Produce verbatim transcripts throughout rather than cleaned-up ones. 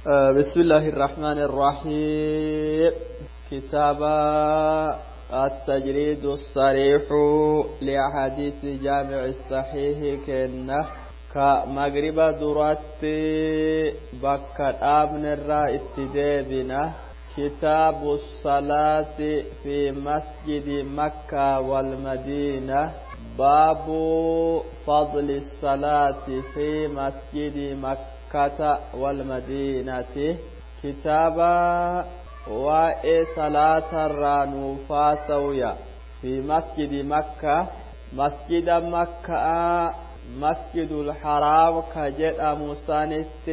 بسم الله الرحمن الرحيم. كتاب التجريد الصريح لأحاديث جامع الصحيح كنه كمغرب درات بكر آبن الرائد ديبنا. كتاب الصلاة في مسجد مكة والمدينة. باب فضل الصلاة في مسجد مكة والمدينة. كتاب وإي صلاة الرانوفا سويا في مسجد مكة، مسجد مكة مسجد الحرام كجد مسانت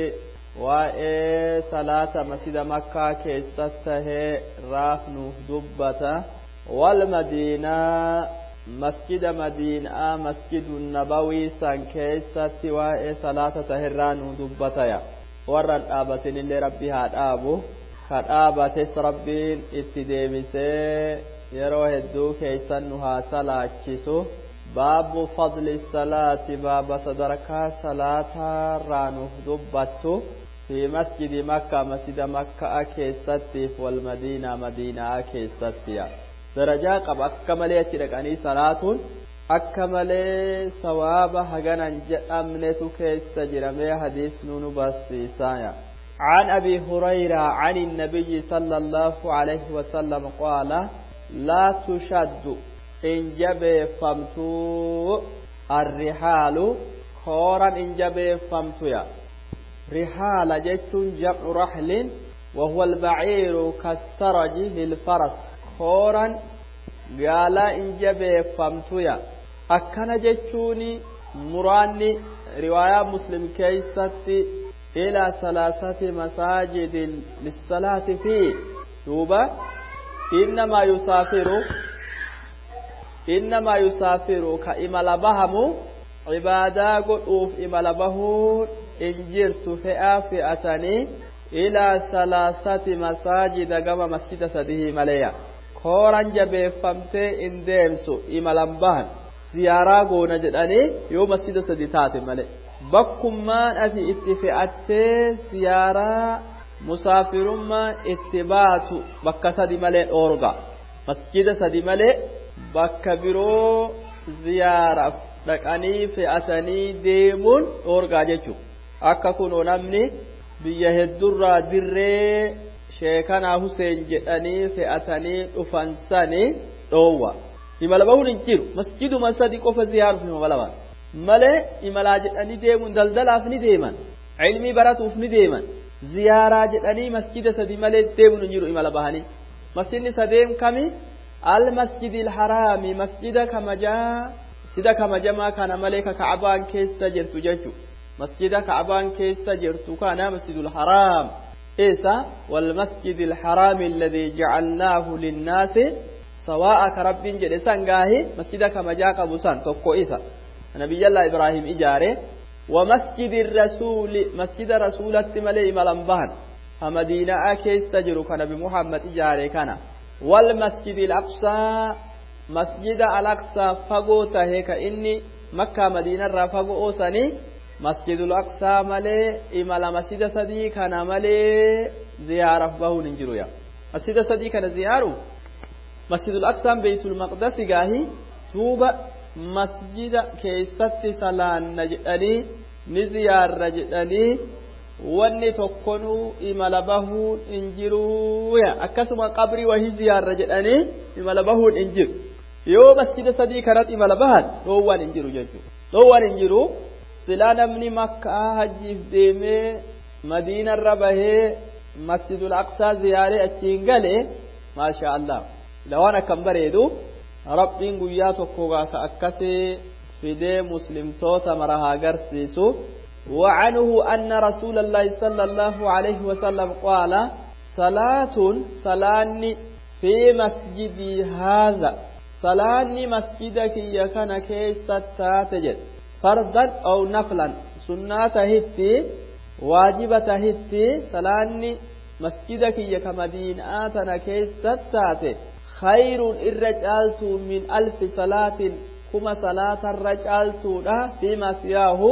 وإي صلاة مسجد مكة كيسته رافنو دبته، والمدينة مسجد مدينة مسجد النبوي سان كيستي وإي صلاة تهران دبتيا ورن آبتين اللي ربي هاد آبو هاد آبتس ربين اتديبسي يروه الدو كيسنها صلاة. باب فضل الصلاة، باب صدرك صلاة رانو دبتو في مسجد مكة، مسجد مكة كيستي والمدينة مدينة كيستي. درجة قب أكمل يترك صلاة أكمل ثواب هجنا جأمنة كيس جرمي حديث نون بسيسايا. عن أبي هريرة عن النبي صلى الله عليه وسلم قال: لا تشد إن جب فمتو الرحال خورا إن جب فمتو يا رحال جت جمع رحل وهو البعير كالسرج للفرس. خورا قال إن جب فمتو يا أكن جتوني مراني رواية مسلم كيستي إلى ثلاثة مساجد للصلاة فيه. دوبا إنما يسافر إنما يسافر كإمال بهم عبادة قطوف إمال بهون إن جرت فئة فئتني إلى ثلاثة مساجد كما مسجد سده مليا. كوران جبه فمتي إن ديمسو إمال بهن زيارة قونا جدني يو مسجد سده تاتي ملي بكمان أتي اتفئتي زيارة مسافرما اتباتو بكا سدي ملي أورغا مسجد سدي ملي bakka biroo ziyaaraaf dhaqanii fe'atanii deemuun dhoorgaa jechuudha. Akka kunoo namni biyya hedduurraa dirree sheekanaa Huseen jedhanii fe'atanii dhufan sanii dhoowwa. Imala bahuun hin jiru. Masjiduma sadi qofa ziyaaruuf imala bahan. Malee imalaa jedhanii deemuun daldalaaf ni deeman. Ilmii baratuuf ni deeman. Ziyaaraa jedhanii masjida sadi malee deemuun hin jiru imala bahanii. Masjidni sadeen kami? المسجد الحرام، مسجد كمجا مسجد كمجما كان ملك كعبان كيس جرت ججو مسجد كعبان كيس جرت كان مسجد الحرام إيسا والمسجد الحرام الذي جعلناه للناس سواء كرب جلسان قاهي مسجد كمجا قبوسان توقو إيسا نبي الله إبراهيم إجاري. ومسجد الرسول، مسجد رسول التملي ملنبهن فمدينة كيس جرو كان بمحمد إجاري كان. والمسجد الأقصى، مسجد الأقصى فقوته كإني مكة مدينة رفقو سني مسجد الأقصى ملي إمالا مسجد سدي كان ملي زيارة به ننجرويا مسجد سدي كان زيارة مسجد الأقصى بيت المقدس قاهي توبة مسجد كيست سلان نجدني نزيار رجدني wanni tokkonuu imala bahuun hin jiru akkasuma qabrii wahii ziyaarra jedhanii imala bahuun hin jiru. Yoo masjida sadii kanatti imala bahan dhoowwaan hin jiru jechuudha. Dhoowwaan hin jiru. Silaa namni makkaa hajjiif deemee madiinarra bahee masjidul aqsaa ziyaaree achiin galee maasha Allah lawaan akkam bareedu rabbiin guyyaa tokko gaafa akkasii fidee muslimtoota mara haa agarsiisu. وعنه أن رسول الله صلى الله عليه وسلم قال: صلاة صلاني في مسجدي هذا، صلاني مسجدك يكن كيس تاتجد فرضا أو نفلا سنة هتي واجبة هتي صلاني مسجدك يكمدين آتنا كيس تاتي خير الرجالت من ألف صلاة كما صلاة الرجالت فيما سياه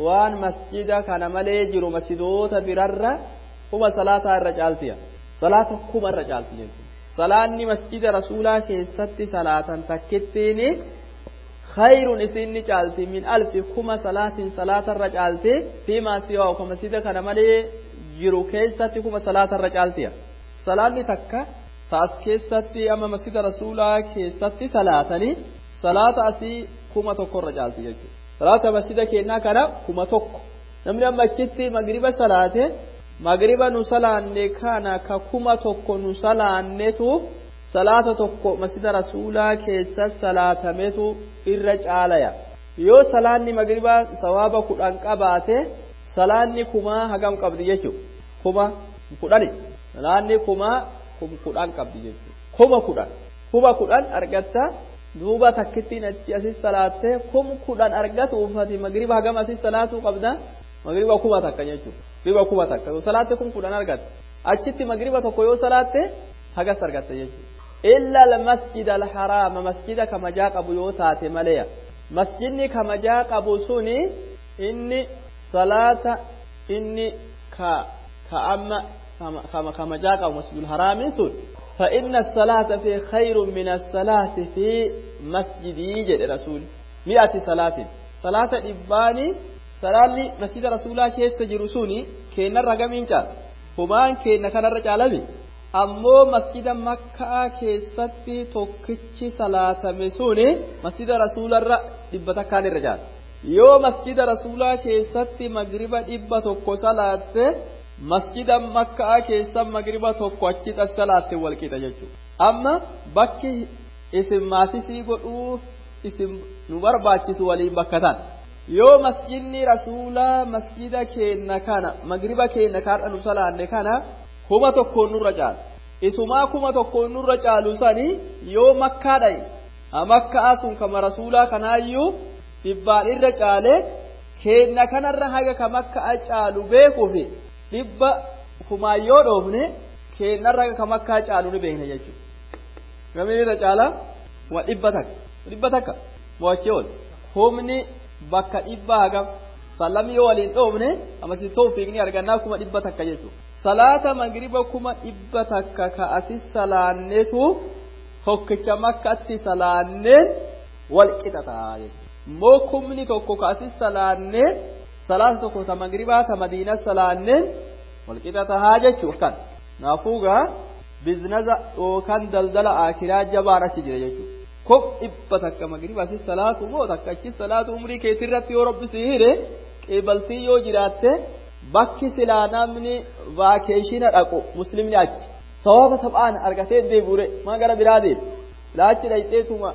waan masjida kana malee jiru masjidoota birarra kuma salaataa irra caaltiya salaata kuma irra caalti jechuudha salaanni masjida rasuulaa keessatti salaatan takkittiini khayrun isinni caalti min alfi kuma salaatin salaatarra caalti fiimaa siwaa ka masjida kana malee jiru keessatti kuma salaatarra caaltiya salaanni takka ta as keessatti amma masjida rasuulaa keessatti salaatanii salaata asii kuma tokkorra caalti jechuudha salaata masjida keenyaa kana kuma tokko namni amma achitti magriba salaate magriba nu salaanne kana ka kuma tokko nu salaannetu salaata tokko masjida rasuulaa keessa salaatametu irra caalaya yoo salaanni magribaa sawaaba kudhan qabaate salaanni kumaa hagam qabdi jechuudha kuma kudhani salaanni kumaa kudhan qabdi jechuudha kuma kudhan kuma kudhan argatta duuba takkittiin achi asis salaatte kum kudhan argatu uffati magriba hagam asis salaatuu qabda magriba kuma takka jechuudha magriba kuma takka yoo salaatte kum kudhan argatte achitti magriba tokko yoo salaatte hagas argatte jechuudha illa almasjida alharaama masjida kamajaa qabu yoo taate maleya masjidni kamajaa qabu suni inni salaata inni ka ka amma kama kamajaa qabu masjidul haraamin sun فإن الصلاة في خير من الصلاة في مسجدي جد رسول مئة صلاة صلاة إباني صلاة مسجد رسول الله كيف تجرسوني كين الرقمين جال همان كين كان الرجال ammoo masjida makkaa keessatti tokkichi salaatame suni masjida rasuularra dhibba takkaan irra jaala yoo masjida rasuulaa keessatti magriba dhibba tokko salaatte masjida makkaa keessa magriba tokko achi salaatte wal qixa jechuudha amma bakki isin maatisii godhuuf isin nu barbaachisu waliin bakka tan yoo masjidni rasuulaa masjida keenna kana magriba keenna kaadha nu salaanne kana kuma tokkoon nurra caalu isumaa kuma tokkoon nurra caalu sani yoo makkaa dhaye makkaa sun kama rasuulaa kanaayyuu dhibbaan irra caale keenna kanarra haga ka makkaa caalu beekuufi dhibba kumaan yoo dhoofne keennarra haga ka makkaa caalu ni beekna jechuudha. Gamiin irra caala kuma dhibba takka dhibba takka mo'achee ol humni bakka dhibba hagam sallamii yoo waliin dhoofne amasi toofiiqni argannaa kuma dhibba takka jechuudha. Salaata magriba kuma dhibba takka ka asi salaannetu tokkicha makkatti salaanneen wal qixa ta'a jechuudha. Immoo kumni tokko ka asi salaanneen salaata tokko ta magribaa ta madiina salaanneen wal qixa tahaa jechuudha kan. Naafuugaa bizinasa yookaan daldala akiraa jabaan achi jira jechuudha. Kum dhibba takka magriba asi salaatu moo takka achi salaatu umrii keetirratti yoo rabbi si hire qeebaltii yoo jiraatte bakki silaa namni vaakeeshina dhaqu muslimni achi sababa taphaan argatee deebi'ure maa gara biraa deemu laachi dhayxeetuma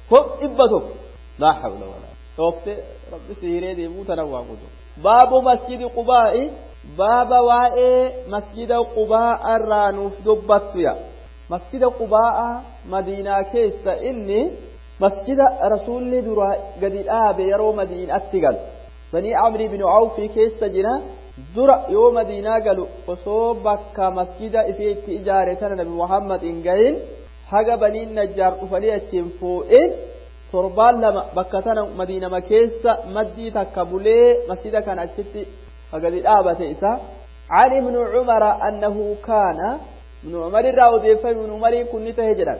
kum dhibba tokko laa hawla walaa dhoofte rabbi si hiree deemuu tana waan guutu baabu masjidi qubaa'i baaba waa'ee masjida qubaa'a irraa nuuf dubbattu ya masjida qubaa'a madiinaa keessa inni masjida rasuulli duraa gadi dhaabe yeroo madiinatti galu banii amri bin awfi keessa jira dura yoo madiinaa galu osoo bakka masjida ifee itti ijaare tana nabi muhammad hin gahin haga baniin najjaar dhufanii achiin fuudhin torbaan lama bakka tana madiinama keessa maddii takka bulee masjida kana achitti gadi dhaabate isa عن ابن عمر أنه كان ابن عمر الراودي فابن عمر كن تهجرا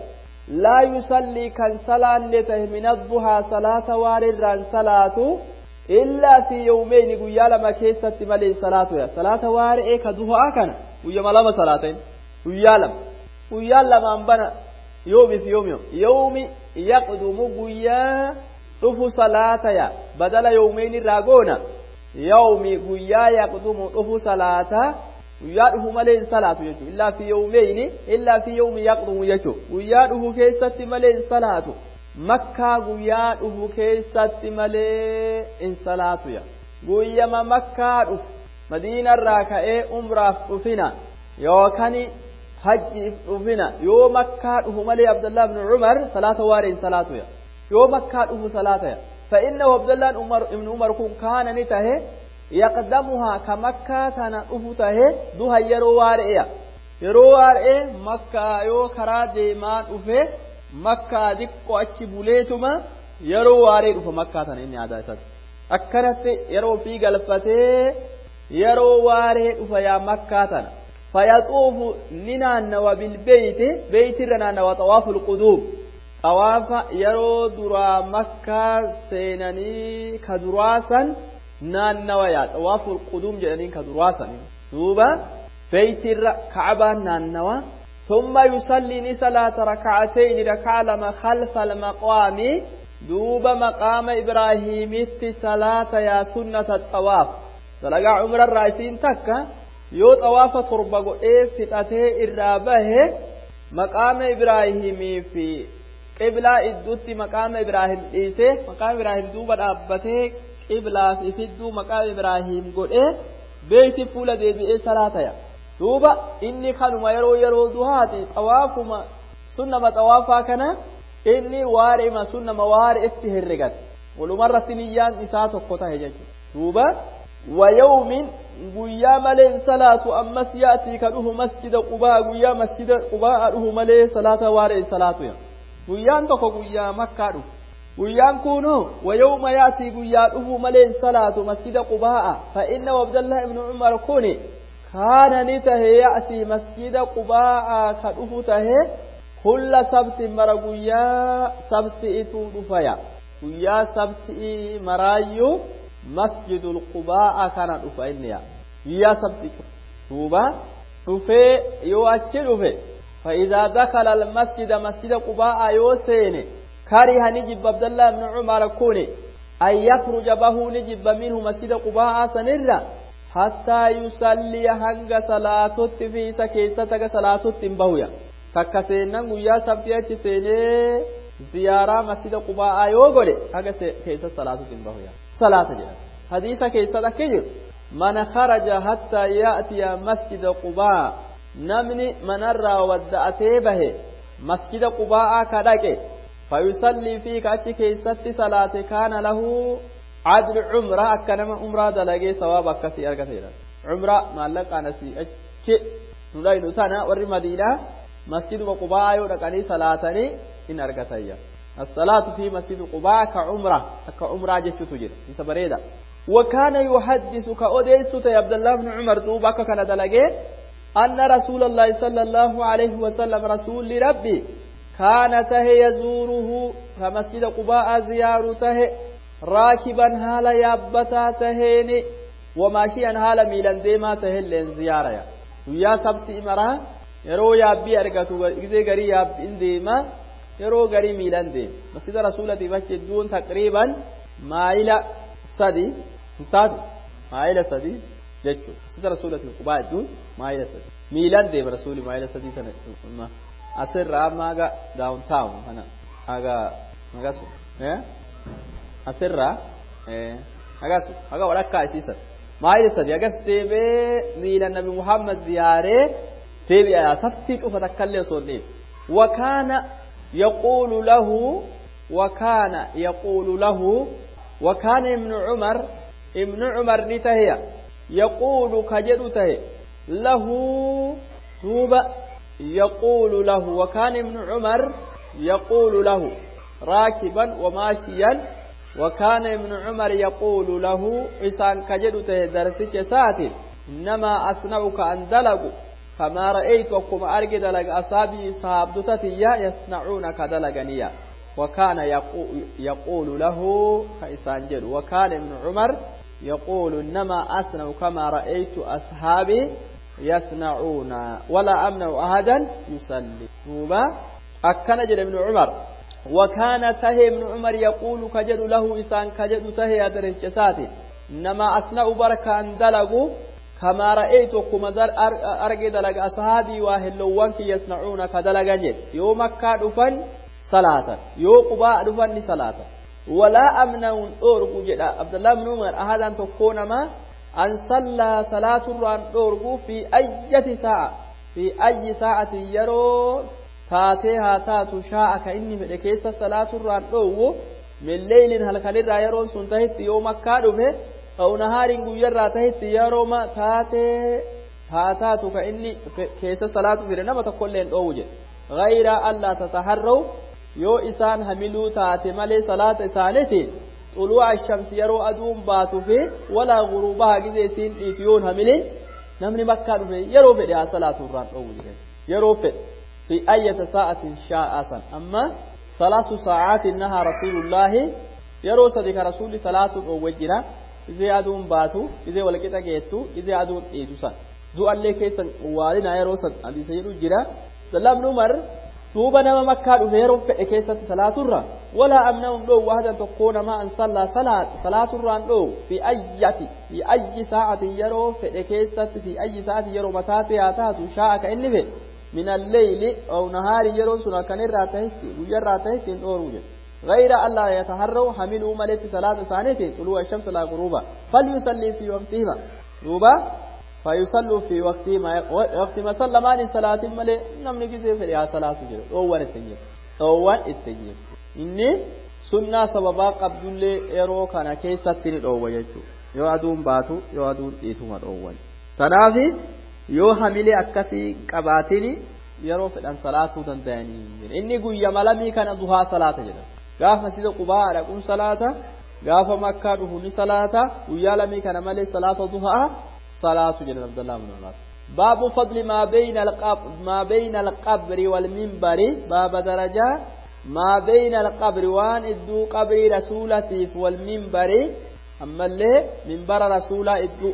لا يصلي كان صلاة لته من الضحى صلاة وارر صلاة إلا في يومين قيا لما كيست ملي صلاة يا صلاة وارئ كضحى كان قيا لما صلاتين قيا لما قيا لما أنبنا يوم في يوم يوم يوم يقدم قيا رفو صلاة يا بدل يومين راغونا يوم قيا يقدم رفو صلاة guyyaa dhufu malee hin salaatu jechuudha. Illaa fi yawmeyni illaa fi yawmi yaqdumu jechuudha. Guyyaa dhufu keessatti malee hin salaatu. Makkaa guyyaa dhufu keessatti malee hin salaatu ya. Guyyama makkaa dhufu madiinarraa ka'ee umraaf dhufina yookaan hajjiif dhufina yoo makkaa dhufu malee Abdullah ibn Umar salaata waaree hin salaatu ya. Yoo makkaa dhufu salaata ya. فإنه عبد الله ibn Umar kun kaana ni tahe yaqdamuhaa ka makkaa tana dhufu tahe duha yeroo waara'eya yeroo waara'e makkaa yoo karaa deemaa dhufe makkaa diqqo achi buleetuma yeroo waaree dhufa makkaa tana inni aadaa isaati akkanatti yeroo ofii galfatee yeroo waaree dhufa yaa makkaa tana فيطوف ننانوا بالبيت بيت رنانوا طواف القدوم طواف يرو درا مكة سيناني كدراسا نانوا يا طواف القدوم جلنين كدراسا دوبا بيت كعبة نانوا ثم يصلي صلاة ركعتين ركع لما خلف المقام دوب مقام إبراهيم صلاة يا سنة الطواف دلقا عمر الرئيسين تكا yoo xawaafa torba godhee fixatee irraa bahe maqaama ibraahimii fi qiblaa idduutti maqaama ibraahim dhiisee maqaama ibraahim duuba dhaabbatee qiblaa fi fidduu maqaama ibraahim godhee beeyti fuula deebi'ee salaataya duuba inni kanuma yeroo yeroo duhaati xawaafuma sunnama xawaafaa kana inni waarima sunnama waare itti herregate walumarratti niyyaan isaa tokko tahe jechuudha duuba ويوم guyyaa malee salaatu ammas yaatii ka dhufu masjida qubaa guyyaa masjida qubaa dhufu malee salaata waaree salaatu ya guyyaan tokko guyyaa makkaa dhufu guyyaan kunu wayawma yaatii guyyaa dhufu malee salaatu masjida qubaa fa inna abdallah ibnu umar kuni kaana ni tahe yaatii masjida qubaa ka dhufu tahe kulla sabti mara guyyaa sabti ituu dhufaya guyyaa sabti maraayyuu مسجد القباء كان دفا إنيا يا سبتي توبا دفا يو أتشي فإذا دخل المسجد مسجد قباء يوسين كره نجب عبد الله بن عمر كوني أن يخرج به نجب منه مسجد قباء سنرا حتى يصلي هنگ صلاة في سكيستك صلاة بهويا تكسينا يا سبتي أتشي زيارة مسجد قباء يوغولي هنگ كيسة صلاة بهويا صلاة جدا حديث كيسة كجر من خرج حتى يأتي مسجد قباء نمني من الرى ودأتي به مسجد قباء كدك فيصلي في كأتي كيسة صلاة كان له عدل عمرة أكنما عمرة دلقي ثواب أكسي أركثيرا عمرة ما لك أنسي أكي نلاين سنة ور مدينة مسجد قباء يودكني صلاتني إن أركثيا الصلاة في مسجد قباء كعمرة كعمرة جت تجر بريدة وكان يحدث كأوديس يا عبد الله بن عمر توبك كان دلقي أن رسول الله صلى الله عليه وسلم رسول ربي كان ته يزوره فمسجد قباء زيارته راكبا هالا يابتا تهيني وماشيا هالا ميلان ديما تهلين زيارة ويا سبت إمرا يرو يابي أرقاتو إذا غري يابين ديما yeroo garii miilan deema masjida rasuulatiif achi hedduun taqriiban maayila sadi hin taatu maayila sadi jechuudha masjida rasuulatiif qubaa hedduun maayila sadi miilan deema rasuuli maayila sadii kana asirraa amma haga daawuntaawun kana haga hagasu asirraa hagasu haga walakkaa isiisan maayila sadi hagas deemee miilan nabi muhammad ziyaaree deebi'a saftii cufa takkallee osoo hin dhiibne وكان يقول له وكان يقول له وكان ابن عمر ابن عمر نتهي يقول كجدته له توب يقول له وكان ابن عمر يقول له راكبا وماشيا وكان ابن عمر يقول له إسان كجدته درسك ساتي إنما أصنعك أن دلقوا كما رأيت وكما أرجد لك أصابي صابتتي يصنعون كدلغنيا وكان يقول له كإسان جل وكان ابن عمر يقول إنما أصنع كما رأيت أصحابي يصنعون ولا أمنع أحدا يصلي توبا أكن جل ابن عمر وكان تهي ابن عمر يقول كجل له إسان كجل تهي أدرج إنما أصنع بركة أن دلقوا كما رأيت كما در أرجع دلق أصحابي واهلوان كي يصنعون كدلق جد يوم مكة دفن صلاة يوم قباء دفن صلاة ولا أمنع أرجو جد عبد الله بن عمر أحد أن تكون ما أن صلى صلاة الران أرجو في أي ساعة في أي ساعة يرو تاتيها تاتو شاء كإني ملكيس صلاة الران أرجو من ليل هل خليل يرون سنتهت يوم مكة دفن أو نهار guyyaarraa tahetti yerooma taatee haa taatu ka inni keessa salaatu fide nama tokkollee hin dhoowwu jedhe gayra allaa tataharraw yoo isaan hamiluu taate malee salaata isaaniiti xuluu'a shamsi yeroo aduun baatu fi walaa guruubaha gizee isiin dhiitu yoon hamilin Namni Makkaa dhufe yeroo fedhe haa salaatu irraan dhoowwu jedhan. Yeroo fedhe fi ayyata sa'atin shaa'a san. Amma salaasu sa'aatin nahaa rasuulullaahi yeroo sadi ka rasuulli salaatu dhoowwe jira. Izee aduun baatu, izee walqixa geettu, izee aduun dhiitu san. Du'allee keessan waalina yeroo san hadiisa jedhu jira. Lamni Umar duuba nama Makkaa dhufe yeroo fedhe keessatti salaaturra walaa amnahum dhoowwu ahadan tokkoo namaa an sallaa salaaturraan dhoowwu fi ayyati fi ayyi sa'atin yeroo fedhe keessatti fi ayyi sa'atin yeroo mataate haa taatu shaa'a ka inni fedhe min alleyli aw nahaari yeroon sun akkanirraa tahetti guyyarraa tahetti hin dhooruu jedhe. غير ألا يتهروا حملوا ملت صلاة ثانية طلوع الشمس لا غروبا فليصلي في وقتهما دوبا فيصلوا في وقتهما وقت ما سلمان صلاة ملي نمني كيسي في صلاة جرو أول التجيب أول التجيب إني سنة سببا قبل يرو كان كيسة تني أول يجو يو أدون باتو يو أدون إيتوما أول تنافي يو حملي أكسي قباتني يرو في صلاة دنداني إني قوي ملمي كان ضحى صلاة جرو gaafa masjida Qubaa dhaquun salaata gaafa Makkaa dhufu ni salaata guyyaa lamii kana malee salaata duhaa salaatu jedhan Abdullah ibn Umar. Baabu fadli maa bayna alqabr maa bayna alqabri wal minbari baaba darajaa maa bayna alqabri waan idduu qabrii rasuulatiif wal minbari ammallee minbara rasuulaa idduu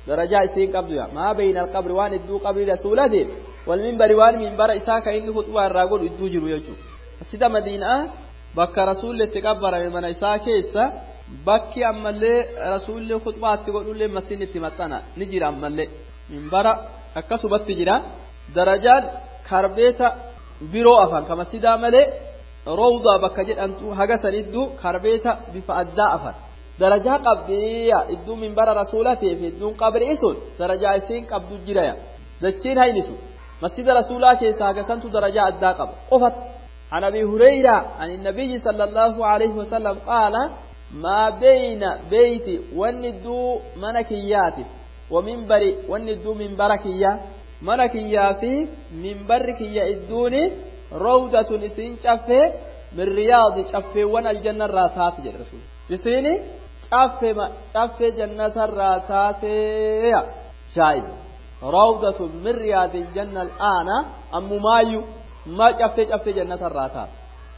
darajaa isiin qabdu yaa maa bayna alqabri waan idduu qabrii rasuulatiif wal minbari waan minbara isaa kan inni khutbaa irraa godhu idduu jiru jechuudha. Masjida Madiinaa bakka rasuulli itti qabbarame mana isaa keessa bakki ammallee rasuulli khutbaatti godhullee masjidni itti maxxana ni jira ammallee minbara akkasumatti jira darajaan karbeeta biroo afan ka masjidaa malee roowdaa bakka jedhamtu haga sanidduu karbeeta bifa addaa afan darajaa qabdiya idduu minbara rasuulatiif idduun qabrii sun darajaa isiin qabdu jiraya dachiin haynisu masjida rasuulaa keessa haga santu darajaa addaa qaba qofatti. عن أبي هريرة عن النبي صلى الله عليه وسلم قال ما بين بيتي والندو منكياتي ومنبري والندو منبركية منكيا في منبركية الدوني روضة نسين شفه من رياض شفه وانا الجنة الراتات جل رسول نسيني شفه ما شفه جنة الراتات شاهد روضة من رياض الجنة الآن أم مايو ما شفت شفت جنة الراتات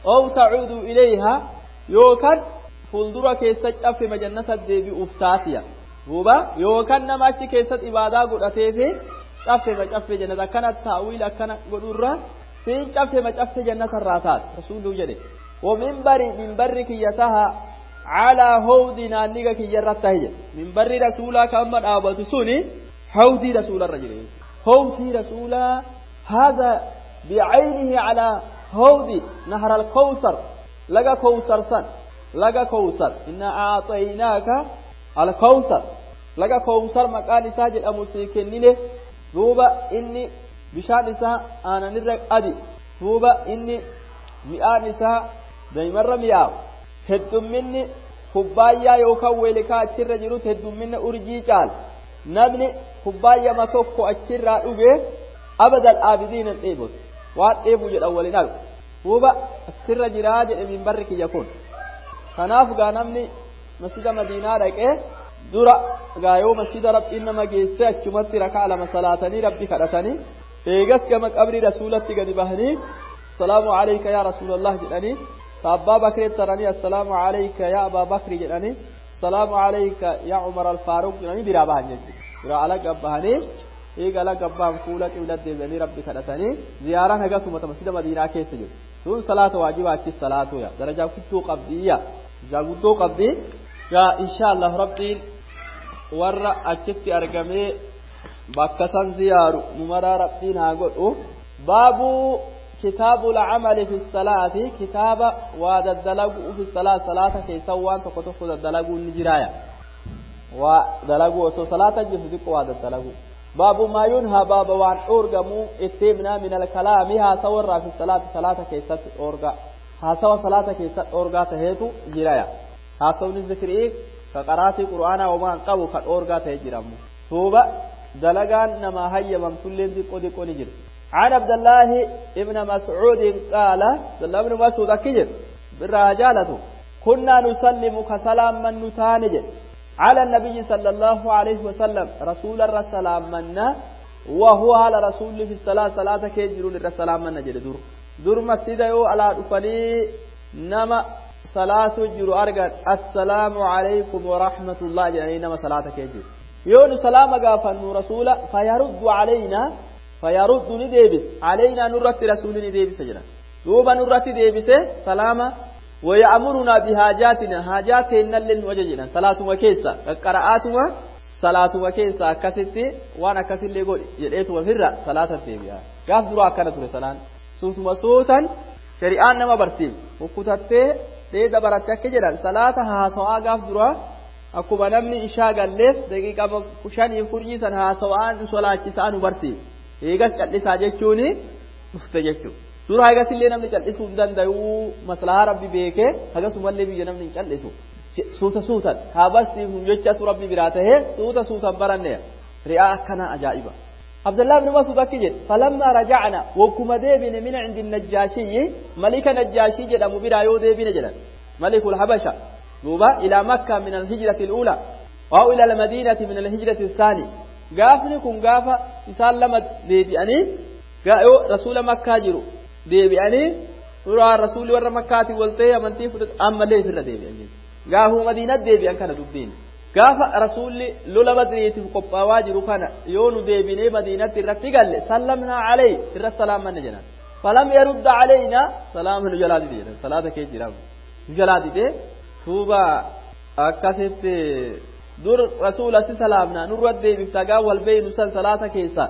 أو تعود إليها يوكن فولدرا كيسة شفت ما جنة الدبي أفتاتيا هوبا يوكن نماشي كيسة إبادة قرأتي في شفت ما شفت جنة كانت تأويل كان قدرة سين شفت ما شفت جنة الراتات رسول جل ومنبر منبرك يتها على هودنا نيجا يرتهي منبر رسولا كما أبو سوني حوضي رسول الرجل حوضي رسولا هذا بعينه على هودي نهر الكوثر لقى كوثر سن لقى كوثر إنا أعطيناك الكوثر لقى كوثر مكان ساجد أمسيكنين دوبا إني بشان إساء أنا نرق أدي دوبا إني مئان إساء دايما رمياو هدو مني kubbaayyaa yookaan weelikaa achirra jirutti heddumminna urjii caala namni kubbaayyaa tokko achirraa dhuge abadal aabidiin hin dheebotu waan dheebu jedhan waliin argu duuba achirra jiraa jedhe minbarri kiyya kun kanaaf gaa namni masjida madiinaa dhaqee dura gaa yoo masjida rabbiin nama geesse achumatti rakaa lama salaatanii rabbi kadhatanii eegas gama qabrii rasuulatti gadi bahanii assalaamu alayka yaa rasuulallah jedhanii ta abbaa bakrii taranii assalaamu alayka yaa abaa bakri jedhanii assalaamu alayka yaa umar alfaaruq jedhanii biraa bahan jechuudha biraa ala gabbahanii eega ala gabbahan fuula qibla deebi'anii rabbi kadhatanii ziyaaraan hagasuma masjida madiinaa keessa jiru sun salaata waajibaa achis salaatuya darajaa guddoo qabdiyya darajaa guddoo qabdi yaa insha allah rabbiin warra achitti argamee bakka san ziyaaru numaraa rabbiin haa godhu baabuu kitaabu lcamali fi salaati kitaaba waa daddalaguu fi salaat salaata keessa waan tokko tokko daddalaguun ni jiraaya waa dalaguu osoo salaata jirtu xiqqo waa daddalaguu baabu maa yunhaa baaba waan dhoorgamuu itti himnaa min alkalaami haasawarraa fi salaati salaata keessatti dhoorgaa haasawa salaata keessatti dhoorgaa taheetu jiraya haasawni zikrii ka qaraatii qur'aanaa homaan qabu ka dhoorgaa tahe jiramu duuba dalagaan namaa hayyamamtulleen xiqqoo xiqqoo ni jira عن عبد الله ابن مسعود قال عبد الله بن مسعود أكجر بالرجالة كنا نسلم كسلام من نتانج على النبي صلى الله عليه وسلم رسول الرسلام منا وهو على رسول في الصلاة صلاة كيجرون الرسلام منا جل دور دور مسجد يو على دفني نما صلاة جرو أرجع السلام عليكم ورحمة الله جل نما صلاة كيجر يون سلام غافن رسول فيرد علينا فيرد نديبس علينا نرت رسول نديبس جل دوبا نرت ديبس سلام ويأمرنا بحاجاتنا حاجاتنا للوججنا صلاة وكيسة قراءاتنا صلاة وكيسة كستي وانا كسل يقول يلقيت وفرة صلاة الدبيا قاف دروا كانت رسالان سوت مسوتا شريان نما برسيم وكتت ديدا برتك جدا صلاة ها سوا قاف دروا akkuma namni ishaa galleef daqiiqaa shanii furnii san haasawaan solaachisaan barsiif eegas cal'isaa jechuun dhufte jechuudha. Suuraa hagas illee namni cal'isuu hin danda'u maslahaa rabbi beekee hagasumallee biyya namni hin cal'isu. Suuta suutan haa barsiifnu jechatu rabbi biraa tahee suuta suutan baranne ri'aa akkanaa ajaa'iba. Abdullah ibn Mas'ud akki jedhe falammaa raja'na wakkuma deebine min cindi najjaashiyyi malika najjaashii jedhamu biraa yoo deebine jedhan malikul habasha duuba ilaa makka min alhijrati al'uula waa ila almadiinati min alhijrati الثاني gaafni kun gaafa isaan lama deebi'anii yoo rasuula makkaa jiru deebi'anii suuraa rasuulli warra makkaatiin wal ta'ee amantii fudhatu ammallee ofirra deebi'an jechuudha. Gaafuma madiinatti deebi'an kana dubbiin. Gaafa rasuulli lola badriitiif qophaawaa jiru kana yoo nu deebinee madiinatti irratti galle sallamnaa calee irra salaamanna jedhan. Falam yarudda caleynaa salaama nu jalaa dide jedhan salaata kee jira nu jalaa dide tuuba akkasitti dur rasuula si salaamnaa nurra deebifta gaa wal beeynu san salaata keessa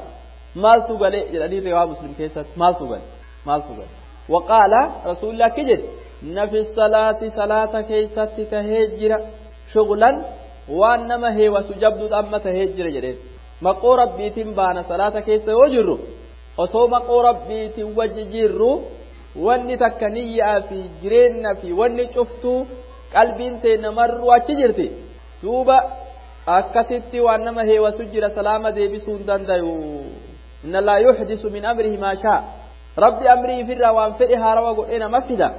maaltu gale jedhanii riwaa muslim keessatti maaltu gale. maaltu gale waqaala rasuulli akki jedhe nafi salaati salaata keeysatti tahee jira shughlan waan nama heewasu jabduudha amma tahee jira jedheen maqoo rabbiitiin baana salaata keessa yoo jirru osoo maqoo rabbiitiin wajji jirru wanni takka niyyaa fi jireenna fi wanni cuftuu qalbiin tee namarru achi jirti duuba akkasitti waan nama heewasu jira salaama deebisuu hin dandayu inna laa yuxdisu min amrihi maa shaa ربي أمري في الروان في هاروا قلنا مفدا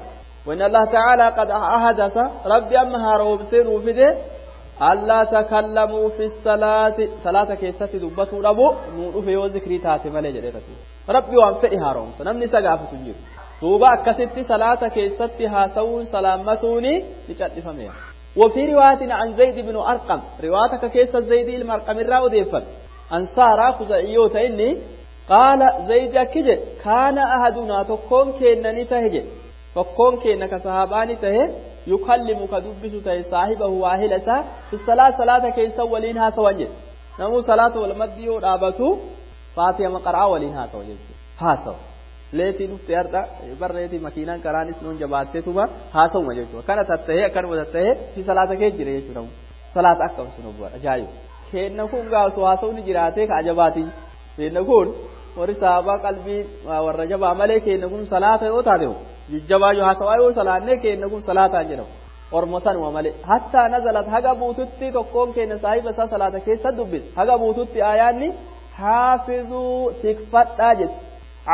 وإن الله تعالى قد أحدث ربي أما هاروا بسير وفده ألا تكلموا في الصلاة صلاة كيسة دبتوا ربو نور في وذكري تاتي مالي جري رسول ربي وان في هاروا سنمني سقافة تنجر توبا كست صلاة كيسة هاسون سلامتوني لجد فميا وفي رواية عن زيد بن أرقم روايتك كيسة زيد المرقم الراو ديفا أنصارا خزائيوتا إني قال زيد أكجي كان أحدنا تكون كينني تهجي تكون كينك صحاباني تهي يكلم كدبس تهي صاحبه واهلتا في الصلاة صلاة كيسا ولينها سوانجي نمو صلاة والمدي ورابتو فاتحة مقرعة ولينها سوانجي هاسو leetii dhufte har'a barreetii makiinaan karaanis nuun jabaattee tuma haasawuma jechuudha kana tattahee akkanuma tattahee fi salaata kee jira jechuudha salaata akkam sun obbo ajaa'iba kenna kun gaasoo haasawni jiraatee ka ajabaatii kenna kun warri sahabaa qalbii warra jabaa malee kenna kun salaata yoo taate jajjabaa yoo haasawaa yoo salaannee kenna kun salaataan jedhamu ormo sanuma malee hattaa nazalat haga buututti tokkoon kenna saahiba isaa salaata keessa dubbise haga buututti aayaanni haafizuu tikfadhaa jetti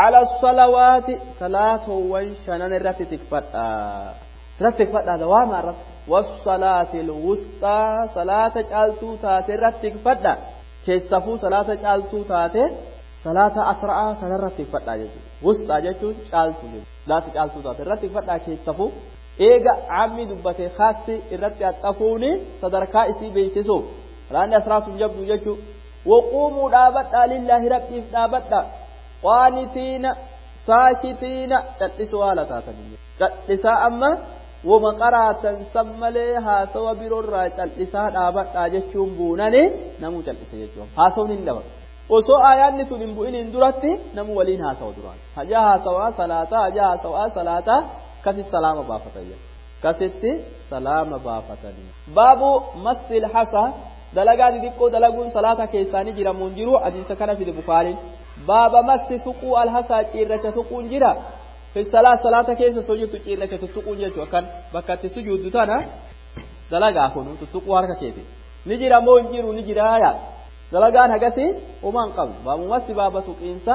على الصلوات صلاة وانشنن الرت تكفتا رت تكفتا دوام الرت والصلاة الوسطى صلاة جالتو تاتي رت تكفتا كيسفو صلاة جالتو تاتي صلاة أسرع صلاة رت تكفتا جيجو وسطى جيجو جالتو جيجو صلاة جالتو تاتي رت تكفتا كيسفو eega ammi dubbate khaassi irratti axxafuuni sadarkaa isii beeksisu salaanni asraaf hin jabdu jechuu waquumuu dhaabadhaa lillaahi rabbiif dhaabadhaa qaanitiina saakitiina cal'isuu haala taatanii cal'isaa amma wama qaraatan san malee haasawa biroorraa cal'isaa dhaabadhaa jechuun buunani namuu cal'ise jechuun haasawni hin dhabamu osoo aayaanni sun hin bu'iniin duratti namu waliin haasawa duraan hajaa haasawaa salaataa hajaa haasawaa salaataa kasi salaama baafatan kasitti salaama baafatanii baabu massil hasa dalagaa xixiqqoo dalaguun salaata keessaanii jiramuun jiru hadiisa kana fide bukaariin baaba massi tuquu alhasaa ciirracha tuquun jira fi salaa salaata keessa soo jirtu ciirracha tuttuquun jechuu akkan bakka itti sujuuddu tana dalagaa kun tuttuquu harka keeti ni jira moo hin jiru ni jira yaa dalagaan hagasi homaa hin qabnu baabu massi baaba tuqiinsa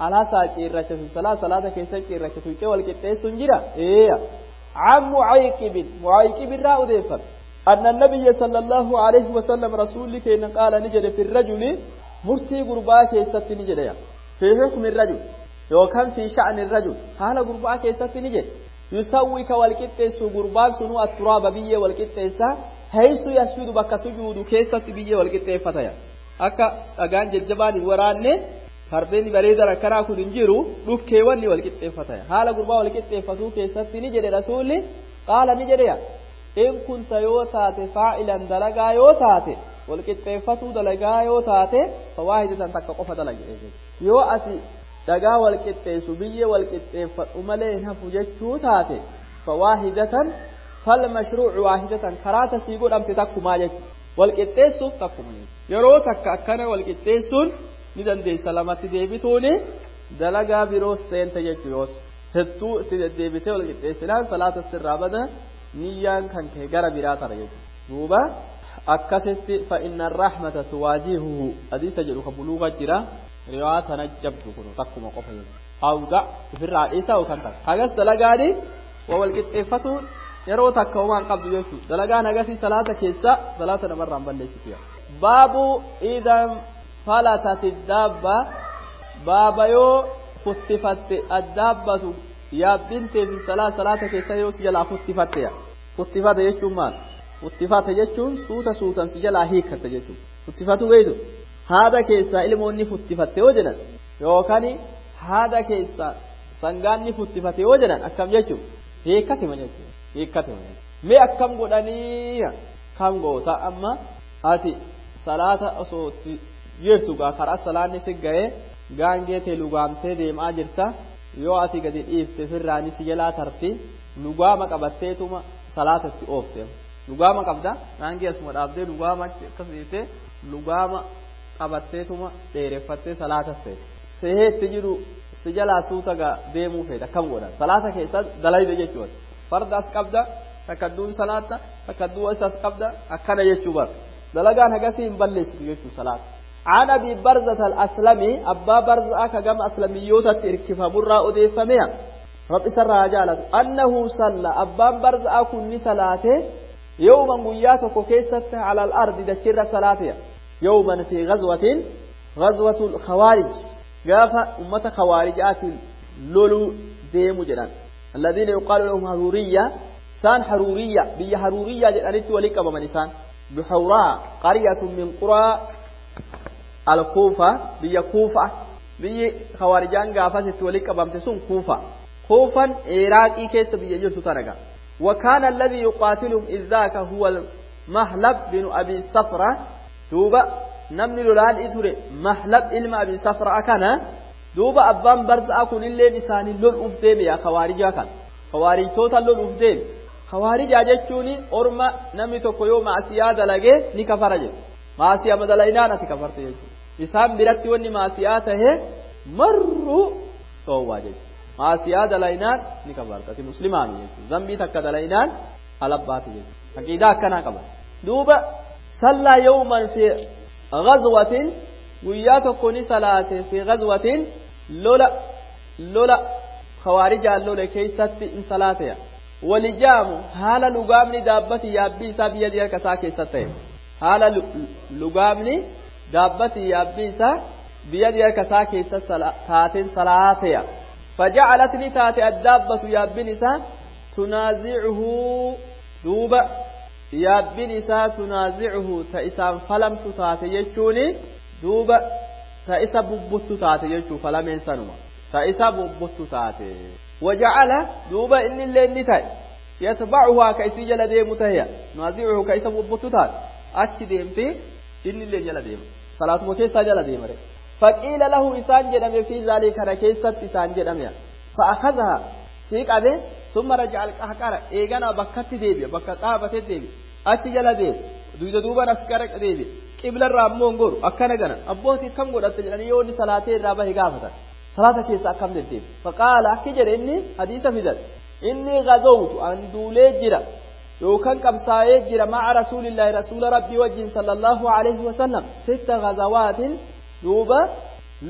alhasaa ciirracha fi salaa salaata keessa ciirracha tuqee wal qixxeessuun jira eeya عن معيقب معيقب را أديفم أن النبي صلى الله عليه وسلم رسولك إن قال نجد في الرجل مرتي قربا كيست نجد في حكم الرجل يوكان في شأن الرجل حال قربا كيست نجد يسويك والكتس قربان سنو التراب بيه والكتس حيث يسجد بك سجود كيست بيه والكتس فتيا أكا أغان ججبان وراني fardeen bareedan akkanaa kun hin jiru dhukkeewwan ni walqixxeeffatan haala gurbaa walqixxeeffatuu keessatti ni jedhe rasuulli qaala ni jedhe in kunta yoo taate faa'ilan dalagaa yoo taate walqixxeeffatuu dalagaa yoo taate fawaahidatan takka qofa dalage yoo ati dhagaa walqixxeessu biyyee walqixxeeffadhu malee hin hafu jechuu taate fawaahidatan falmashruucu waahidatan karaa tasii godhamte takkumaa jechuudha walqixxeessuuf takkuma yeroo takka akkana walqixxeessuun ni dandeessa lamatti deebituuni dalagaa biroo seente jechuu yoos hedduu itti deddeebitee wal qixxeessinaan salaata sirraa bada niyyaan kan kee gara biraa tara jechuudha duuba akkasitti fa inna rahmata tuwaajihuhu hadiisa jedhu ka buluuga jira riwaa tana jabdu kun takkuma qofa jechuudha awda ofirraa dhiisaa yookaan takka hagas dalagaani waa wal qixxeeffatuun yeroo takka homaan qabdu jechuudha dalagaan hagasii salaata keessa salaata namarraan balleessitu baabu idan فلتت الدابة بابا يو ختفت الدابة يا بنتي في الصلاة صلاة كيسا يو سجلا ختفت يا ختفت يجون مال ختفت يجون سوتا سوتا سجلا هيكت يجون ختفت بيدو هذا كيسا إلموني ختفت وجنا يوكاني هذا كيسا سنغاني ختفت وجنا أكم يجون هيكت من يجون هيكت من يجون مي أكم قدني كم قوتا أما هاتي صلاة أصوتي jirtu gaa karaa salaanni si ga'e gaangee tee lugaamtee deemaa jirta yoo ati gadi dhiifte firraani si jalaa tarti lugaama qabatteetuma salaatatti oofte lugaama qabda gaangee asuma dhaabdee lugaama akkas dhiifte lugaama qabatteetuma dheereffattee salaata seete seheetti jiru si jalaa suuta gaa deemuu feeta akkam godhan salaata keessa dalayde jechuudha farda as qabda takkadduun salaatta takkadduu as qabda akkana jechuu bara dalagaan hagasii hin balleessitu jechuu salaata. عن أبي برزة الأسلمي أبا برزة كجم أسلميوتة تركف برا أضيف ميا رب سر رجالة أنه صلى أبا برزة كن صلاته يوما قياتك كيست على الأرض دكر صلاته يوما في غزوة غزوة الخوارج قاف أمة خوارجات لولو ديم جنان الذين يقال لهم حرورية سان حرورية بي حرورية جنانت ولك أبا بحوراء قرية من قرى الكوفة بيا كوفة بيا خوارجان غافة تولي قبامت سون كوفة كوفا عراقي كيس بيا جرسو ترغا وكان الذي يقاتلهم إذ ذاك هو المهلب بن أبي صفرة دوبا نمني لولان إتوري مهلب إلما أبي صفرة أكنا دوبا أبان برز أكون اللي نساني لول أفديم يا خوارجا كان خوارج توتا لول أفديم خوارجا جتشوني أرما نمي تكويو مع سيادة لغي نكفرجي maasiyaa madalaynaan ati kafarte jechuudha. Isaan biratti wanni maasiyaa tahe marru dhoowwaa jechuudha. Maasiyaa dalaynaan ni kafarta. Ati muslimaami jechuudha. Zambii takka dalaynaan alabbaati jechuudha. Aqiidaa akkanaa qaba. Duuba sallaa yawman fi ghazwatin guyyaa tokko ni salaate fi ghazwatin lola lola khawaarijaan lole keessatti in salaateya. Walijaamu haala lugaamni daabbati yaabbii isaa biyya harka isaa keessatti ta'e. Haala lugaamni daabbati yaabbii isaa biyya harka isaa keessa taateen salaateya. Fajacalat ni taate addaabbatu yaabbiin isaa tunaazicuhu duuba yaabbiin isaa tunaazicuhu ta isaan falamtu taate jechuuni duuba ta isa bubbuttu taate jechuu falameen sanuma ta isa bubbuttu taate. Wajacala duuba inni illee ni ta'e yatbacuhaa ka isii jala deemu taheya tunaazicuhu ka isa bubbuttu taate. Achi deemtee inni illee jala deema salaatuma keessaa jala deema re faqiila lahu isaan jedhame fi zaalika kana keessatti isaan jedhame fa'akadaha sii qabe summa raja'a alqahqara eegana bakkatti deebi'a bakka dhaabatee deebi'a achi jala deema duyda duuban as gara deebi'a qiblarraa ammoo hin goru akkana gana abbootii akkam godhatte jedhanii yoo inni salaatee irraa bahe gaafatan salaata keessa akkam deddeebi faqaala akki jedhe inni hadiisa fidan inni gazowtu an duulee jira yookaan qabsaa'ee jira maca rasuulillaahi rasuula rabbii wajjin sallallahu alaihi wasallam sitta gazawaatin duuba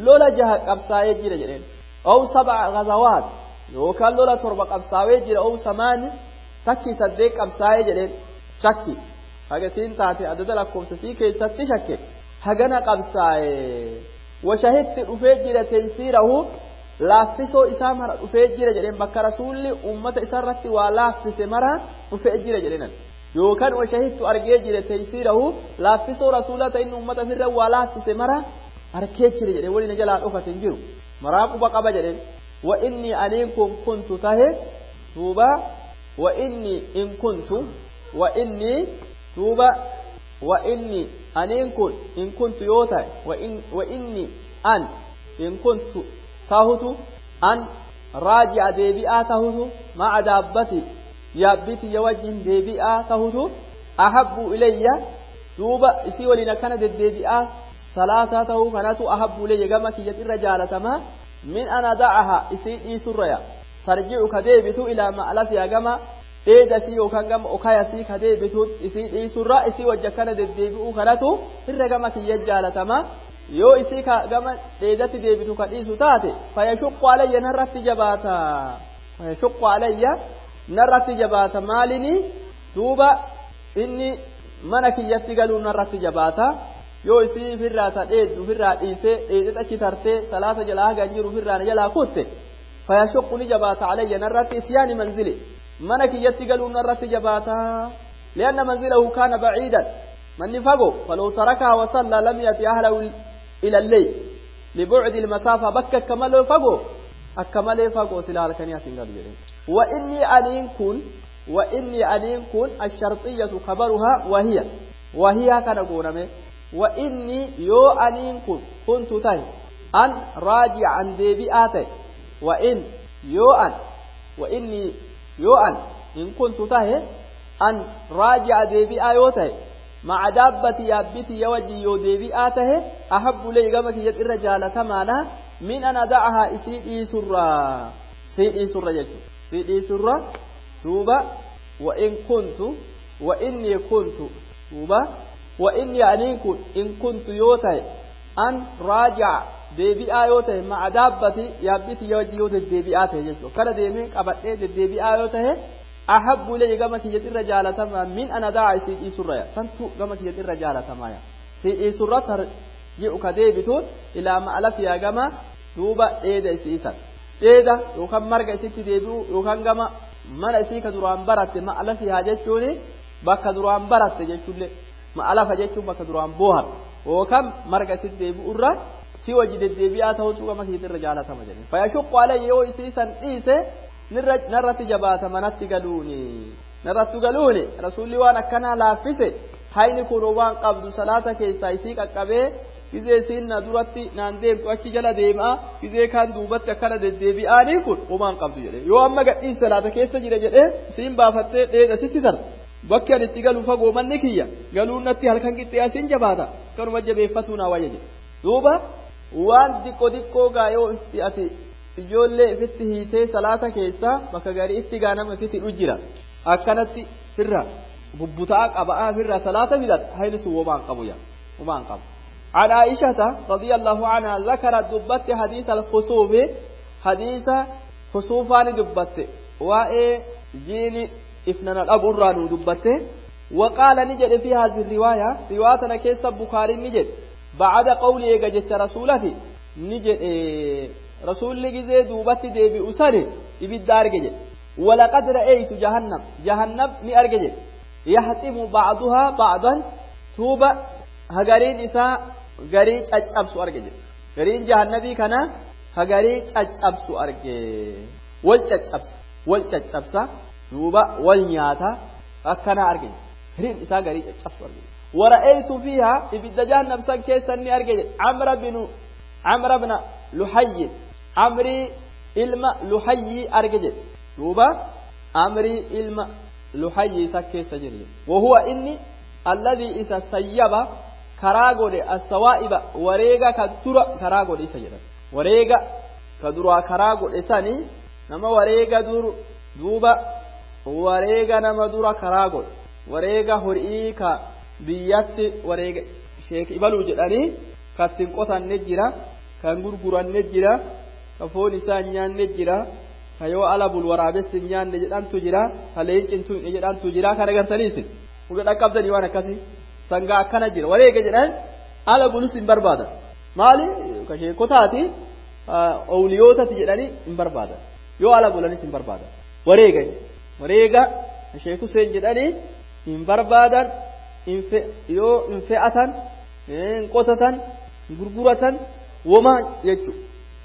lola jaha qabsaa'ee jira jedheen aw sab'a gazawaat yookaan lola torba qabsaa'ee jira aw samaani takki saddeet qabsaa'ee jedheen shakki Haga isiin taate adada lakkoofsa isii keessatti shakke hagana qabsaa'e. Washahitti dhufee jira taysiirahu laaffisoo isaa mara dhufee jira jedheen bakka rasuulli ummata isarratti waa laaffise mara dhufee jira jedheenan. Yookaan washahittu argee jira taysiirahu laaffisoo rasuulaa ta'in ummata ofirra waa laaffise mara arkee jira jedhee waliin jalaa dhokate hin jiru. Maraa quba qaba jedheen. Wa inni aniin kun kuntu tahe duuba wa inni in kuntu wa inni duuba wa inni aniin kun in kuntu yoo ta'e wa inni an in kuntu tahutu an raaji'a deebi'aa tahutu ma'a daabbati yaabbitiyya wajjin deebi'aa tahutu ahabbu ilayya duuba isii waliin akkana deddeebi'aa salaataa tahuu kanatu ahabbu ilayya gama kiyyatti irra jaalatamaa min an ada'aha isii dhiisurraya tarji'u ka deebitu ilaa ma'lafiya gama dheedasii yookaan gama okayasii ka deebitu isii dhiisurra isii wajja akkana deddeebi'uu kanatu irra gama kiyya jaalatamaa yoo isii ka gama dheedatti deebitu ka dhiisu taate fayashuqqu alayya narratti jabaata fayashuqqu alayya narratti jabaata maalini duuba inni mana kiyyatti galuu narratti jabaata yoo isii ofirraa ta dheeddu ofirraa dhiisee dheedee achi tartee salaata jalaa hagan jiru ofirraa na jalaa kutte fayashuqqu ni jabaata alayya narratti isyaani manzili mana kiyyatti galuu narratti jabaata lianna manzilahu kaana baciidan manni fagoo falaw tarakaha wasallaa lam yati ahlahu ila lleyl libucdi ilmasaafa bakka akka malee fagoo akka malee fagoo sila halkanii asin galu jedhe wa innii aniin kun wa innii aniin kun asharxiyyatu kabaruhaa wahiya wahiyaa kana gooname wa innii yoo aniin kun kuntu tahe an raajican deebi'aa ta'e wa in yoo an wa innii yoo an in kuntu tahe an raajica deebi'aa yoo ta'e maca daabbati yaabbiti ya wajjin yoo deebi'aa tahe ahabbu ilayya gama kiyyatti irra jaalatamaadha min an adacahaa isii dhiisurraa isii dhiisurra jechuudha isii dhiisurra duuba wa in kuntu wa innii kuntu duuba wa innii aniin kun in kuntu yoo tahe an raajica deebi'aa yoo tahe maca daabbati yaabbiti ya wajjin yoo deddeebi'aa tahe jechuudha kana deemee qabadhee deddeebi'aa yoo tahe ahabbu ilayya gama kiyyatti irra jaalatamaa min an adaca isii dhiisurra ya santu gama kiyyatti irra jaalatamaa ya isii dhiisurra tarji'u ka deebituun ilaa ma'alafiyaa gama duuba dheeda isii san dheeda yookaan marga isitti deebi'u yookaan gama mana isii ka duraan baratte ma'alafiyaa jechuun bakka duraan baratte jechuullee ma'alafa jechuun bakka duraan boohar yookaan marga isitti deebi'u irra si wajji deddeebi'aa ta'utu gama kiyyatti irra jaalatama jedhe fayashuqqu alayya yoo isii san dhiise narratti jabaata manatti galuuni narratti galuuni rasuulli waan akkanaa laaffise hayni kun waan qabdu salaata keessaa isii qaqqabee gizee isiin na duratti naan deemtu achi jala deemaa gizee kaan duubatti akkana deddeebi'aanii kun homaan qabdu jedhe yoo amma gadhiin salaata keessa jira jedhee isiin baafattee dheeda sitti tarta bakki ani itti galu fagoo manni kiyya galuun natti halkan qixxee asiin jabaata akkanuma jabeeffatuu naa wayya jedhe duuba waan diqqoo diqqoo gaa yoo itti ati ijoollee ifitti hiitee salaata keessa bakka garii itti gaanama ifitti hidhu jira akkanatti firra bubbutaa qaba'aa firra salaata fidata hayni sun homaan qabu yaa homaan qabu. عن عائشة رضي الله عنها ذكرت دبت حديث الخسوف حديث خسوفان دبت وإيه جيني إفنان الأبران دبت وقال نجد في هذه الرواية روايتنا كيس بخاري نجد بعد قوله جت رسولته نجد إيه رسول جزء دوبت ديبي أسري يبدار جد ولقد رأيت جهنم جهنم ني أرجج يحتم بعضها بعضا توبة هجرين إساء garii caccabsu arge jedhe gariin jahannabii kana hagarii caccabsu arge wal caccabsa wal caccabsa duuba wal nyaata akkana arge gariin isaa garii caccabsu arge wara'aytu fiiha ibidda jahannam san keessa inni arge jedhe amra binu amra bna luhayyi amrii ilma luhayyi arge jedhe duuba amrii ilma luhayyi isa keessa jire wahuwa inni alladhii isa sayyaba karaa godhe assawaa'iba wareega ka dura karaa godhe isa jedhan wareega ka duraa karaa godhe sani nama wareega dur duuba wareega nama dura karaa godhe wareega horii ka biyyatti wareega sheek ibaluu jedhanii kattiin qotanne jira kan gurguranne jira ka foon isaa hin nyaanne jira ka yoo ala bul waraabessi hin nyaanne jedhantu jira ka leencin tuqne jedhantu jira kan agartaniisin Uga dhaqqabdanii waan akkasii sangaa akkana jira wareega jedhan ala bulus hin barbaadan maali ka sheekotaati owliyootati jedhanii hin barbaadan yoo ala bulanis hin barbaadan wareega wareega sheek Huseen jedhanii hin barbaadan yoo hin fe'atan hin qotatan hin gurguratan woma jechuudha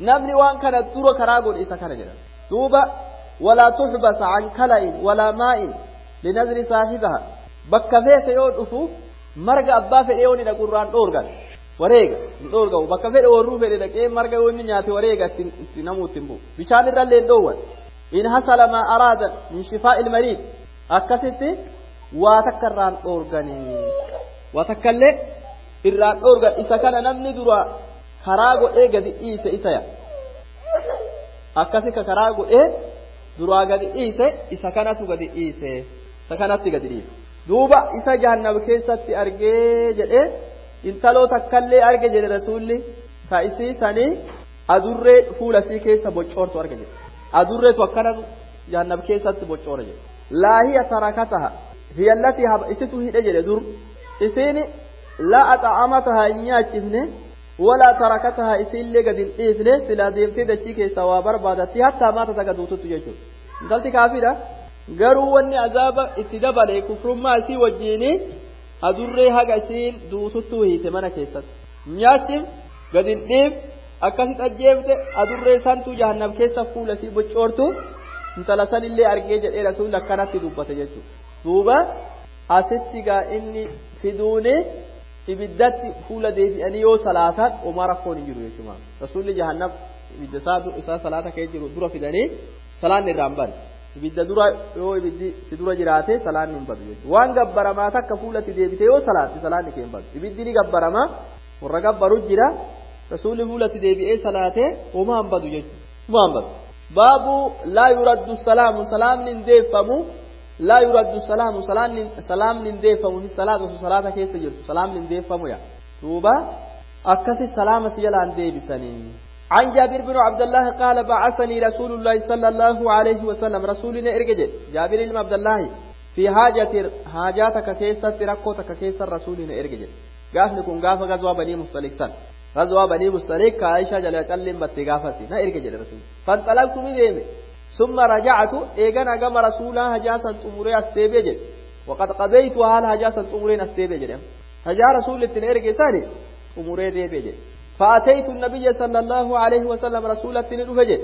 namni waan kana dura karaa godhe isa kana jedhama duuba walaa tuxbasa can kala'in walaa maa'in linazri saahibaha bakka feete yoo dhufu marga abbaa fedhe yoo ni dhaqu irraan dhoorgan wareega hin dhoorgamu bakka fedhe warruu fedhe dhaqee marga yoo inni nyaate wareega itti namuu ittiin bu'u bishaan irrallee hin dhoowwan in hasala maa araada min shifaa'i ilmariid akkasitti waa takka irraan dhoorganii waa takkallee irraan dhoorgan isa kana namni dura karaa godhee gadi dhiise isa ya akkasi ka karaa godhee duraa gadi dhiise isa kanatu gadi dhiise isa kanatti gadi dhiise duuba isa jahannam keessatti argee jedhee intaloo takkallee arge jedhe rasuulli ta isii sanii adurree fuula isii keessa boccoortu arge jedhe adurreetu akkanatu jahannam keessatti boccoora jedhe laa hiya tarakataha hiya allatii isitu hidhe jedhe dur isiin laa axa'amataha hin nyaachifne walaa tarakataha isiillee gadi hin dhiifne silaa deemtee dachii keessaa waa barbaadatti hattaa maata taga duututti jechuudha intalti kaafiidha garuu wanni azaaba itti dabale kufrummaa isii wajjiini adurree haga isiin duututtuu hiite mana keessatti nyaachif gadi hin dhiif akkasitti ajjeefte adurree santuu jahannam keessa fuula isii boccoortu intala sanillee argee jedhee rasuulli akkanatti dubbate jechuudha duuba asitti gaa inni fiduuni ibiddatti fuula deebi'anii yoo salaatan homaa rakkoon hin jiru jechuudha rasuulli jahannam ibidda isaa isaa salaata kee jiru dura fidanii salaanni irraa hin badu ibidda dura yoo ibiddi si dura jiraate salaanni hin badu jechuudha waan gabbaramaa takka fuulatti deebite yoo salaatte salaanni kee hin badu ibiddi ni gabbaramaa warra gabbaru jira rasuulli fuulatti deebi'ee salaate homaa hin badu jechuudha homaa hin badu baabu laa yuraddu salaamu salaamni hin deeffamu لا يرد السلام سلام سلام نديفم في الصلاة وصلاة كيف تجرت سلام نديفم يا توبة أكث السلام سيلا ديبسني عن جابر بن عبد الله قال بعثني رسول الله صلى الله عليه وسلم رسولنا ارجع جابر بن عبد الله في حاجة حاجاتك كيسة ركوتك كيسة رسولنا ارجع قاف نكون قاف غزوة بني مصطلق سن غزوة بني مصطلق عائشة جل جل بتغافتي نا ارجع رسول فانطلقت من ديمه ثم رجعت ايغانا غم رسولا هجاسا تمري استيبي وقد قضيت حال هجاسا تمري استيبي هجا رسول التنيرجي ثاني تمري ديبي فاتيت النبي صلى الله عليه وسلم رسول التنيرجي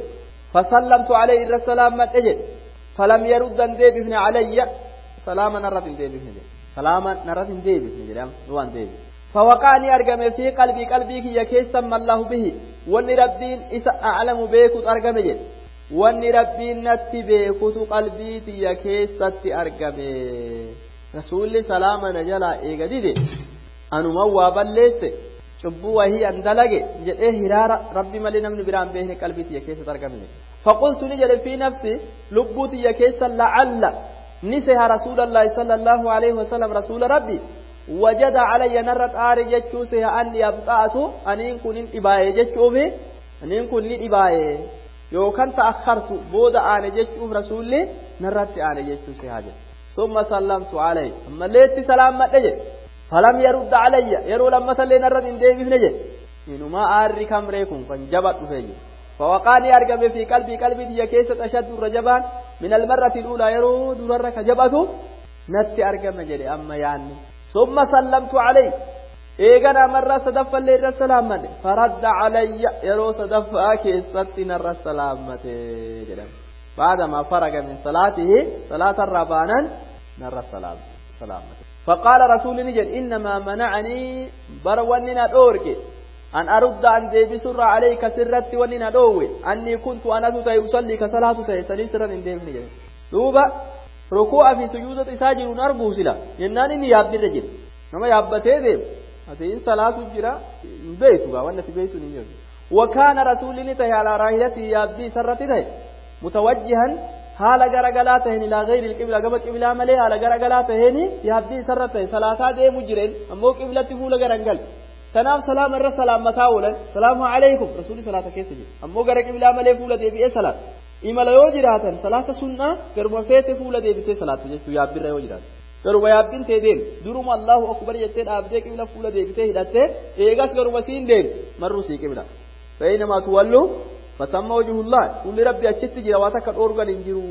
فسلمت عليه السلام مدجد فلم يرد ديبفن علي سلاما نرد ديبفن سلاما نرد ديبفن دوان ديبي فوقعني أرقم في قلبي قلبي كي يكيسم الله به واني ربين إسا أعلم بيكت أرقم جد wanni rabbiin natti beekutu qalbii tiyya keessatti argame rasuulli salaama na jalaa eega dide anuman waa balleesse cubbuu wahii an dalage jedhee hiraara rabbi malee namni biraan beekne qalbii tiyya keessatti argame faqultu ni jedhe fi nafsi lubbuu tiyya keessa la'alla ni seha rasuulallaahi sala allaahu alaihi wasalam rasuula rabbi wajada calayya narra xaare jechuu seha anni abxa'atu aniin kun hin dhibaaye jechuufi aniin kun ni dhibaaye yookaan ta'akhartu booda aane jechuuf rasuulli narratti aane jechuu si haa jedhu summa sallamtu alayhi ammallee itti salaammadhe jedhe falam yarudda alayya yeroo lammatallee narratti hin deebifne jedhe inumaa aarri kamree kun kan jaba dhufee jedhe فوقاني أرقم في قلبي قلبي تي كيسة أشد الرجبان من المرة الأولى يرو درر كجبته نتي أرقم جري أما يعني ثم سلمت عليه eegana marraa sadaffallee irra salaammate faradda calayya yeroo sadaffaa keessatti narra salaammate jedhama baadama faraga min salaatihi salaatarraa baanan narra salaammate فقال رسول نجد إنما منعني بر وننا دورك أن أرد أن ديبي سر عليك سرت وننا دوي أني كنت أنا تتي أصلي كصلاة تتي سني سرا إن ديبني جد دوبا ركوع في سجودة إساجر نرجو سلا يناني نياب الرجل نما يابتي ديب atiin salaatu jira hin beeytu gaa wanni ati beeytu hin jiru وكان رسول الله على راحلته يابي سرتي تهي متوجها حال غرغلا تهين الى غير القبلة غب قبلة ملي حال غرغلا تهين يابي سرتي صلاة ديمو جيرين امو قبلة فول غرنگل تناف سلام الر سلام متاولا السلام عليكم رسول صلاة كيس جي امو غر قبلة ملي فول ديبي صلاة imala yoo jiraatan salaata sunnaa garuma feete fuula deebitee salaatu jechuu yaabbirra yoo jiraatan Garuma yaabbiin tee deem duruma Allahu akbar jettee dhaabdee qibla fuula deebitee hidhattee eegas garuma siin deem marruu sii qibla. Fa'inamaa tuwallu fatamma wajhullaa fuulli rabbi achitti jira waa takka dhoorgan hin jiru.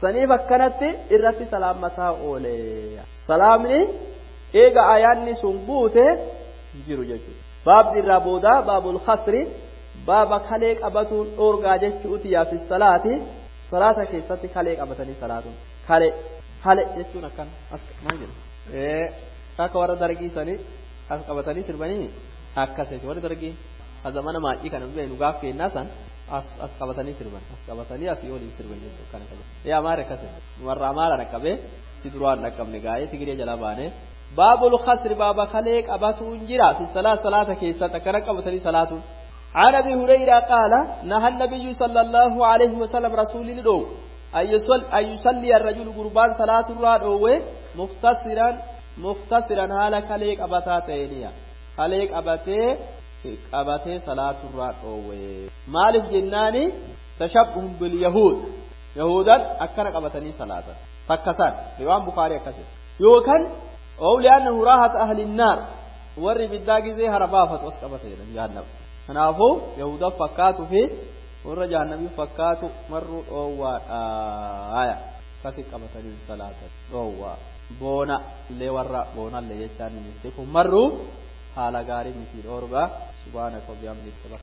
Saniif akkanatti irratti salaammataa oole. Salaamni eega ayaanni sun buute jiru jechuudha. Baabni irraa boodaa baabul khasri baaba kalee qabatuun dhoorgaa jechuuti yaafi salaati salaata keessatti kalee qabatanii salaatuun kalee. Hale jechuun akkan as maal jedhu ee akka warra dargii sanii as qabatanii sirbanii akkas jechuudha warri dargii zamana maacii kana beenu gaaf kennaa san as as qabatanii sirban as qabatanii asii oliin sirban jechuudha kana kana ee amaara akkas warra amaara dhaqqabee si duraan dhaqqabne gaa'ee tigiree jalaa baanee baabul khasri baaba kalee qabatuun jira fi salaa salaata keessatti akkana qabatanii salaatuun. عن أبي هريرة قال نهى النبي صلى الله عليه وسلم رسول الله أن يصلي الرجل قربان صلاة الرادوه مختصرا مختصرا هالا كليك أبتا تينيا كليك أبتي أبتي صلاة الرادوه مالف جناني تشبه باليهود يهودا أكنك أبتني صلاة تكسر ريوان بخاري أكسر يوكن أو لأنه راحة أهل النار وري بالداقي زي هربافة واسقبتي جهنم kanaafuu yahuda fakkaatu fi warra jahannamii fakkaatu marruu dhoowwaadha akkasi qabatanii salaata dhoowwaa boona illee warra boonallee jechaan ni kun marruu haala gaarii miti dhoorgaa subhaanaka wa bihamdika.